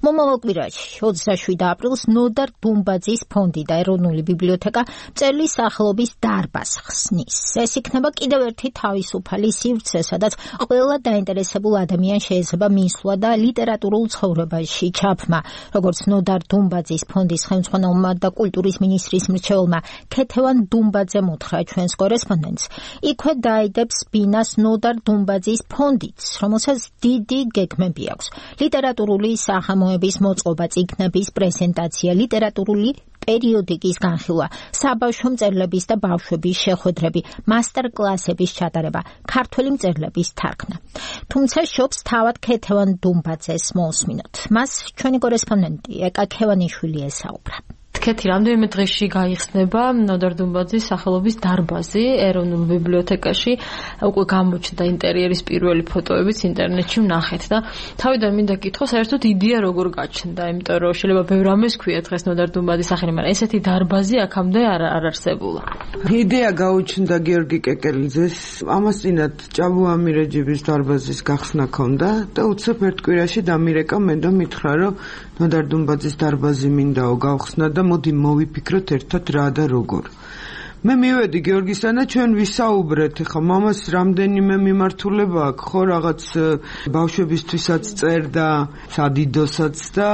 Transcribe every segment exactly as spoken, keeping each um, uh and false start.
მომავალ კვირაში ოცდაშვიდი აპრილს ნოდარ დუმბაძის ფონდი და ეროვნული ბიბლიოთეკა მწერლის სახელობის დარბაზს ხსნის. ეს იქნება კიდევ ერთი თავისუფალი სივრცე, სადაც ყველა დაინტერესებულ ადამიანს შეიძლება მისვლა და ლიტერატურულ ცხოვრებაში ჩაბმა. როგორც ნოდარ დუმბაძის ფონდის ხელმძღვანელმა და კულტურის მინისტრის მრჩეველმა ქეთევან დუმბაძემ უთხრა ჩვენს კორესპონდენტს, იქვე დაიდებს ბინას ნოდარ დუმბაძის ფონდიც, რომელსაც დიდი გეგმები აქვს. ლიტერატურული სახამოების მოწყობა, წიგნების პრეზენტაცია, ლიტერატურული პერიოდიკის განხილვა, საბავშვო მწერლების და ბავშვების შეხვედრები, მასტერ-კლასების ჩატარება, ქართველი მწერლების თარგმნა. თუმცა შობს თავად ქეთევან დუმბაძეს მოусმინოთ. მას ჩვენი კორესპონდენტი ეკა ქევანიშვილი ესაუბრა. კეთი, რამდენიმე დღეში გაიხსნება ნოდარ დუმბაძის სახელობის დარბაზი ეროვნულ ბიბლიოთეკაში. უკვე გამოჩნდა ინტერიერის პირველი ფოტოებიც ინტერნეტში ვნახეთ და თავიდან მინდა გითხო, საერთოდ იდეა როგორ გაჩნდა, იმიტომ რომ შეიძლება ბევრ რამეს ქვია დღეს ნოდარ დუმბაძის სახელი, მაგრამ ესეთი დარბაზი აქამდე არ არ არსებულა. იდეა გაუჩნდა გიორგი კეკელიძეს, ამას წინათ ჭაბუამი რეჯიბის დარბაზის გახსნა ქონდა და უცებ ერთ კვირაში დამირეკა მე და მითხრა, რომ ნოდარ დუმბაძის დარბაზი მინდაო გავხსნა და მოდი მოვიფიქროთ ერთად რა და როგორ. მე მივედი გიორგისთან და ჩვენ ვისაუბრეთ, ხა მამას რამდენიმე მიმართულება აქვს, ხო რაღაც ბავშვებისთვისაც წერდა, სადიდოსაც და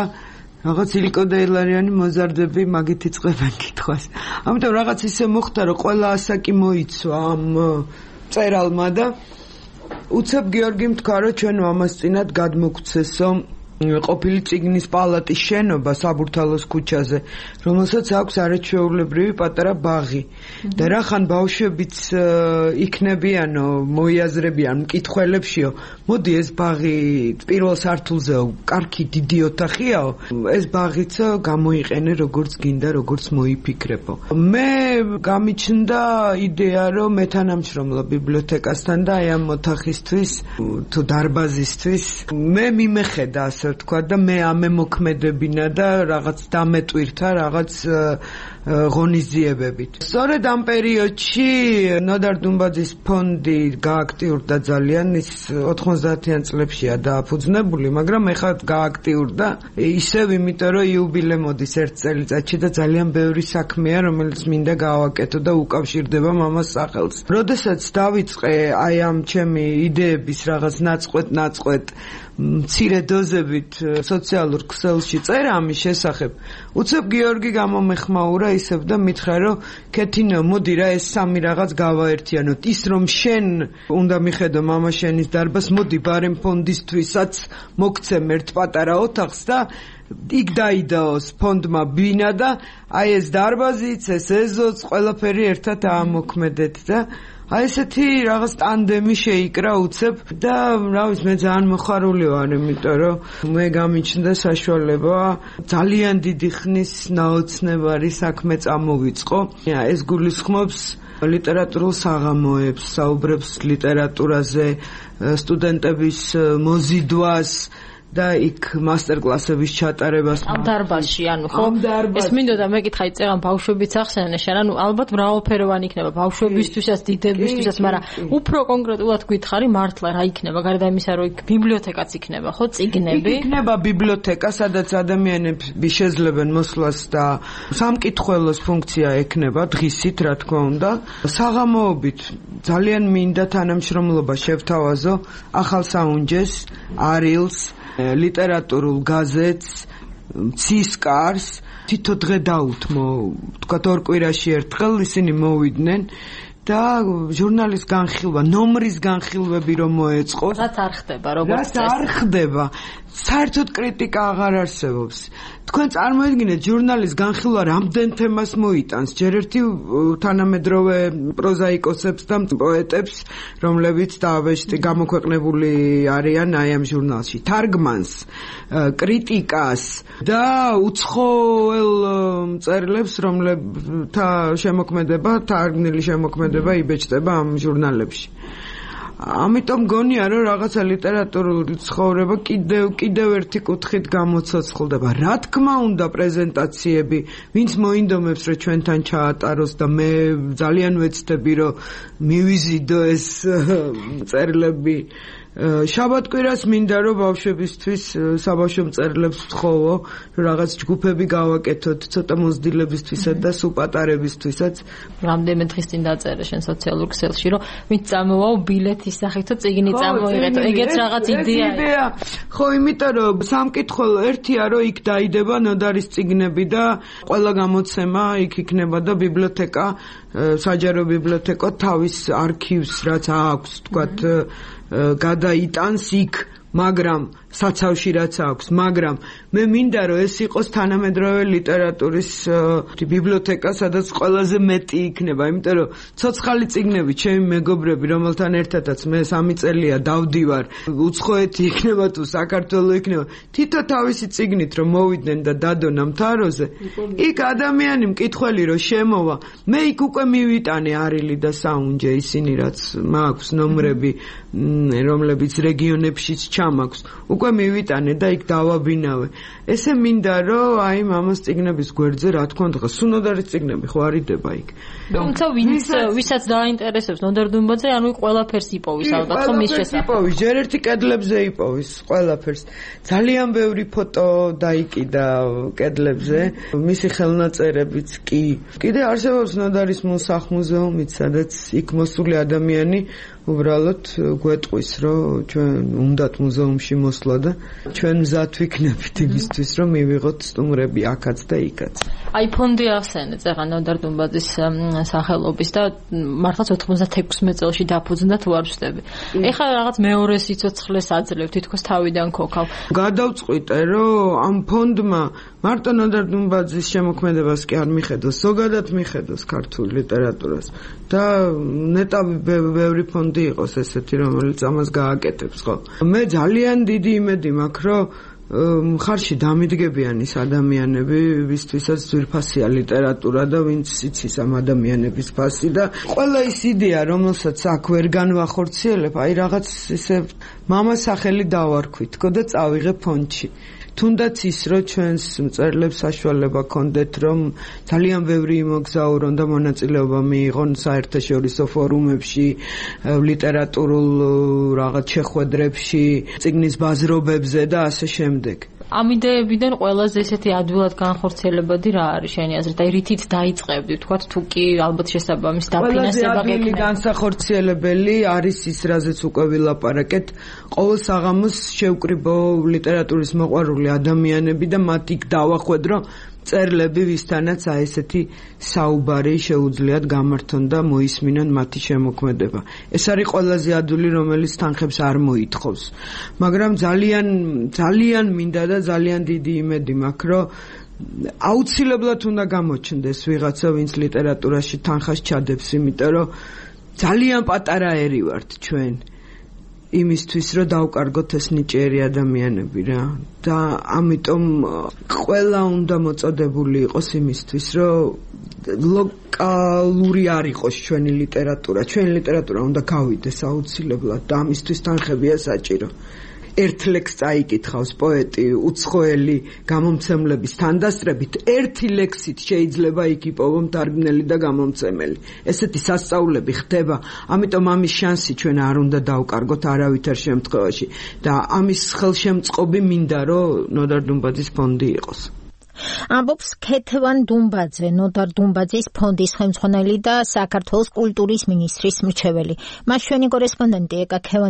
რაღაც ილიკო და ელარიანი მოზარდები მაგით იწყებენ კითხვას. ამიტომ რაღაც ისე მოხდა, რომ ყველა ასაკი მოიცვა ამ წერალმა და უცებ გიორგიმ თქვა, რომ ჩვენ მამას წინათ გადმოგცესო ყოფილი წიგნის პალატის შენობა საბურთალოს ქუჩაზე, რომელსაც აქვს არაჩვეულებრივი პატარა ბაღი. და რახან ბავშვებიც იქნებიანო, მოიაზრებიან მკითხველებშიო, მოდი ეს ბაღი პირველ სართულზეო, კარგი დიდი ოთახიაო, ეს ბაღიც გამოიყენე როგორც გინდა, როგორც მოიფიქრებო. მე გამიჩნდა იდეა, რომ მე თანამშრომლობ ბიბლიოთეკასთან და აი ამ ოთახისთვის თუ დარბაზისთვის მე მიმეხედა ასე თქვა და მე ამემოქმედებინა და რაღაც დამეტვირთა რაღაც ღონისძიებებით. სწორედ ამ პერიოდში ნოდარ დუმბაძის ფონდი გააქტიურდა ძალიან, ის ოთხმოცდაათიან წლებშია დააფუძნებული, მაგრამ ეხლა გააქტიურდა ისევ, იმიტომ რომ იუბილე მოდის ერთ წელიწადში და ძალიან ბევრი საქმეა, რომელიც მინდა გავაკეთო და უკავშირდება მამას სახელს. როდესაც დავიწყე აი ამ ჩემი იდეების რაღაც ნაწყვეტ-ნაწყვეტ მცირე დოზებით სოციალურ ქსელში წერა ამის შესახებ, უცებ გიორგი გამომეხმაურა ისევ და მითხრა, რომ ქეთინო, მოდი რა ეს სამი რაღაც გავაერთიანოთ. ის რომ შენ უნდა მიხედო მამა შენის დარბაზს, მოდი ბარემ ფონდისთვისაც მოგცემ ერთ პატარა ოთახს და იქ დაიდაოს ფონდმა ბინა და აი ეს დარბაზიც, ეს ეზოც, ყველაფერი ერთად აამოქმედეთ და აი ესეთი რაღაც ტანდემი შეიკრა უცებ და რა ვიცი, მე ძალიან მოხარული ვარ, იმიტომ რომ მე გამიჩნდა საშუალება ძალიან დიდი ხნის ნაოცნებარი საქმე წამოვიწყო. ეს გულისხმობს ლიტერატურულ საღამოებს, საუბრებს ლიტერატურაზე, სტუდენტების მოზიდვას და იქ მასტერ-კლასების ჩატარებას. ამ დარბაზში, ანუ ხო? ეს მინდოდა მეკითხა, იწევან ბავშვებიც ახსენენ, ანუ ალბათ მრავალფეროვანი იქნება ბავშვებისთვისაც, დიდებისთვისაც, მაგრამ უფრო კონკრეტულად გითხარი, მართლა რა იქნება, გარდა იმისა, რომ იქ ბიბლიოთეკაც იქნება, ხო, წიგნები? იქნება ბიბლიოთეკა, სადაც ადამიანები შეძლებენ მოსვლას და სამკითხველოს ფუნქცია ექნება დღისით, რა თქმა უნდა. საღამოობით ძალიან მინდა თანამშრომლობა შევთავაზო ახალ საუნჯეს, არილს, ლიტერატურულ გაზეთს, ცისკარს, თითო დღე დაუთმო, თქვათ ორ კვირაში ერთხელ ისინი მოვიდნენ და ჟურნალის განხილვა, ნომრის განხილვები რომ მოეწყოს. რაც არ ხდება, როგორც წესი. რაც არ ხდება. საერთოდ კრიტიკა აღარ არსებობს. თქვენ წარმოიდგინეთ, ჟურნალის განხილვა რამდენ თემას მოიტანს, ჯერ ერთი თანამედროვე პროზაიკოსებს და პოეტებს, რომლებიც დაავეჭდი გამოქვეყნებული არიან აი ამ ჟურნალში, თარგმანს, კრიტიკას და უცხოელ მწერლებს, რომლებთა შემოქმედება, თარგმნილი შემოქმედება იბეჭდება ამ ჟურნალებში. ამიტომ გონია, რომ რაღაცა ლიტერატურული ცხოვრება კიდევ კიდევ ერთი კუთხით გამოცოცხლდება. რა თქმა უნდა, პრეზენტაციები, ვინც მოინდომებს, რომ ჩვენთან ჩაატაროს და მე ძალიან ვეცდები, რომ მივიზიდო ეს წერილები შაბათკვირას მინდა რომ ბავშვებისთვის საბავშვო მწერლებს ვთხოვო, რომ რაღაც ჯგუფები გავაკეთოთ, ცოტა მოზრდილებისთვისაც და სულ პატარებისთვისაც. რამდენიმე დღის წინ დაწერე შენ სოციალურ ქსელში, რომ ვინც წამოვაო ბილეთის სახით და წიგნი წამოიღეთ. ეგეც რაღაც იდეაა. ხო, იმიტომ რომ სამკითხველო ერთია, რომ იქ დაიდება ნოდარის წიგნები და ყველა გამოცემა იქ იქნება და ბიბლიოთეკა, საჯარო ბიბლიოთეკა თავის არქივს რაც აქვს, თქვათ, გადაიტანს იქ, მაგრამ საცავში რაც აქვს, მაგრამ მე მინდა რომ ეს იყოს თანამედროვე ლიტერატურის ბიბლიოთეკა, სადაც ყველაზე მეტი იქნება, იმიტომ რომ ცოცხალი წიგნები, ჩემი მეგობრები, რომელთან ერთადაც მე სამი წელია დავდივარ, უცხოეთი იქნება თუ საქართველო იქნება, თითო თავისი წიგნით რომ მოვიდნენ და დადონ ამ თაროზე, იქ ადამიანი მკითხველი რომ შემოვა, მე იქ უკვე მივიტანე არილი და საუნჯე, ისინი რაც მაქვს ნომრები, რომლებიც რეგიონებშიც ჩამაქვს, უკვე მივიტანე და იქ დავაბინავე. ესე მინდა რომ აი მამას წიგნების გვერდზე რა თქმა უნდა სუნოდარის წიგნები ხო არიდება იქ. თუმცა ვინც ვისაც დაინტერესებს ნოდარ დუმბაძე, ანუ ყველაფერს იპოვის ალბათ ხო მის შესახებ. იპოვის, ჯერ ერთი კედლებზე იპოვის ყველაფერს. ძალიან ბევრი ფოტო დაიკიდა კედლებზე, მისი ხელნაწერებიც კი. კიდე არსებობს ნოდარის მოსახლმუზეუმიც, სადაც იქ მოსული ადამიანი უბრალოდ გვეტყვის, რომ ჩვენ უნდათ მუზეუმში მოსვლა და ჩვენ მზად ვიქნებით იმისთვის, რომ მივიღოთ სტუმრები აქაც და იქაც. აი ფონდი ახსენეთ, ეხლა ნოდარ დუმბაძის სახელობის და მართლაც ოთხმოცდაექვსმეტ წელში დაფუძნდა თუ არ ვსწრები. ეხლა რაღაც მეორე სიცოცხლეს აძლევ, თითქოს თავიდან ქოქავ. გადავწყვიტე, რომ ამ ფონდმა მარტო ნოდარ დუმბაძის შემოქმედებას კი არ მიხედოს, ზოგადად მიხედოს ქართულ ლიტერატურას და ნეტავი ბევრი ფონდი იყოს ესეთი, რომელიც ამას გააკეთებს, ხო? მე ძალიან დიდი იმედი მაქვს, რომ მხარში დამიდგებიან ის ადამიანები, ვისთვისაც ძვირფასია ლიტერატურა და ვინც იცის ამ ადამიანების ფასი და ყველა ის იდეა, რომელსაც აქ ვერ განვახორციელებ, აი რაღაც ისე მამას სახელი დავარქვით, თქო და წავიღე ფონდში. თუნდაც ის, რომ ჩვენს მწერლებს საშუალება ქონდეთ, რომ ძალიან ბევრი იმოგზაურონ და მონაწილეობა მიიღონ საერთაშორისო ფორუმებში, ლიტერატურულ რაღაც შეხვედრებში, წიგნის ბაზრობებზე და ასე შემდეგ. ამ იდეებიდან ყველაზე ესეთი ადვილად განხორციელებადი რა არის შენი აზრით? აი რითით დაიწყებდი, თქვათ თუ კი ალბათ შესაბამის დაფინანსება გეკნება. ყველაზე განსახორციელებელი არის ის, რაზეც უკვე ვილაპარაკეთ, ყოველ საღამოს შევკრიბო ლიტერატურის მოყვარული ადამიანები და მათ იქ დავახვედრ, რომ წერლები ვისთანაც აი ესეთი საუბარი შეუძლიათ გამართონ და მოისმინონ მათი შემოქმედება. ეს არის ყველაზე ადვილი, რომელიც თანხებს არ მოითხოვს. მაგრამ ძალიან ძალიან მინდა და ძალიან დიდი იმედი მაქვს, რომ აუცილებლად უნდა გამოჩნდეს ვიღაცა, ვინც ლიტერატურაში თანხას ჩადებს, იმიტომ რომ ძალიან პატარა ერი ვართ ჩვენ. იმისთვის, რომ დავკარგოთ ეს ნიჭიერი ადამიანები რა და ამიტომ ყველა უნდა მოწოდებული იყოს იმისთვის, რომ ლოკალური არ იყოს ჩვენი ლიტერატურა. ჩვენი ლიტერატურა უნდა გავიდეს აუცილებლად და ამისთვის თანხებია საჭირო. ერთ ლექს წაიკითხავს პოეტი უცხოელი გამომცემლების თანდასწრებით, ერთი ლექსით შეიძლება იქ იპოვო მთარგმნელი და გამომცემელი. ესეთი სასწაულები ხდება, ამიტომ ამის შანსი ჩვენ არ უნდა დავკარგოთ არავითარ შემთხვევაში და ამის ხელშემწყობი მინდა, რომ ნოდარ დუმბაძის ფონდი იყოს. ამბობს ქეთევან დუმბაძე, ნოდარ დუმბაძის ფონდის ხელმძღვანელი და საქართველოს კულტურის მინისტრის მრჩეველი. მას ჩვენი კორესპონდენტი ეკა ქევანი